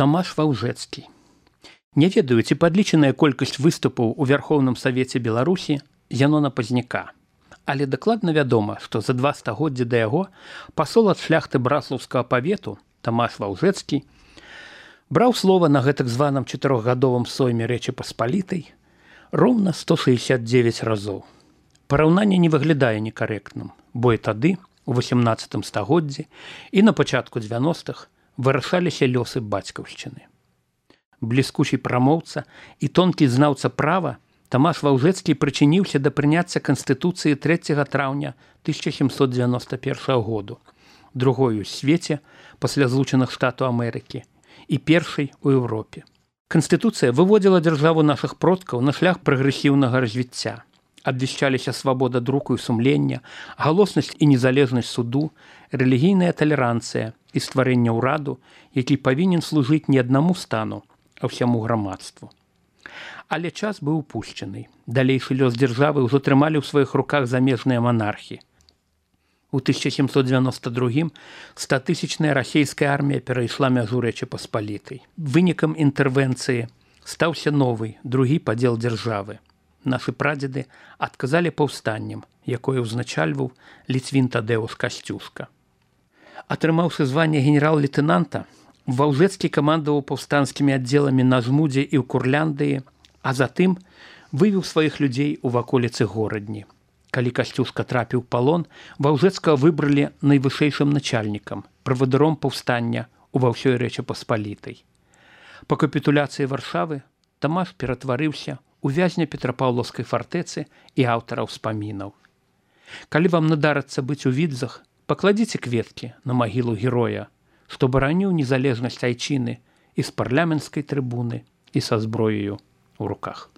Тамаш Ваўжэцкі. Не ведаю, ці падлічаная колькасць выступаў у Вярхоўным Савеце Беларусі Зянона Пазняка. Але дакладна вядома, што за 2 стагоддзі да яго пасол ад шляхты браслаўскага павету Тамаш Ваўжэцкі браў слова на гэтак званым 4гадовым сойме Рэчы Паспалітай роўна 169 разоў. Параўнанне не выглядае некарэктным, бо і тады, у 18 стагоддзі і на пачатку 90-х вырашаліся лёсы бацькаўшчыны. Бліскучы прамоўца і тонкі знаўца права Тамаш Ваўжэцкі прычыніўся да прыняцця Канстытуцыі 3 траўня 1791 году, другой у свеце пасля Злучаных Штатаў Амерыкі і першай у Еўропе. Канстытуцыя выводзіла дзяржаву нашых продкаў на шлях прагрэсіўнага развіцця. Абвяшчаліся свабода друку і сумлення, галоснасць і незалежнасць суду, рэлігійная талеранцыя і стварэнне ўраду, які павінен служыць не аднаму стану, а ўсяму грамадству. Але час быў упушчаны. Далейшы лёс дзяржавы ўжо трымалі ў сваіх руках замежныя манархі. У 1792 100-тысячная расійская армія перайшла мяжу Рэчы Паспалітай. Вынікам інтэрвенцыі стаўся новы, другі падзел дзяржавы. Нашы прадзеды адказалі паўстаннем, якое ўзначальваў Ліцвін Тадэўш Касцюшка. Атрымаўшы званне генерал-лейтэнанта, Ваўжэцкі камандаваў паўстанцкімі аддзеламі на Жмудзе і ў Курляндыі, а затым вывеў сваіх людзей у ваколіцы Горадні. Калі Касцюшка трапіў у палон, Ваўжэцкага выбралі найвышэйшым начальнікам, правадыром паўстання ува ўсёй Рэчы Паспалітай. Па капітуляцыі Варшавы Тамаш ператварыўся у вязня Петрапаўлаўскай фартэцы і аўтара ўспамінаў. Калі вам надарыцца быць у Відзах, пакладзіце кветкі на магілу героя, што бараніў незалежнасць айчыны і з парламенцкай трыбуны, і са зброяю ў руках.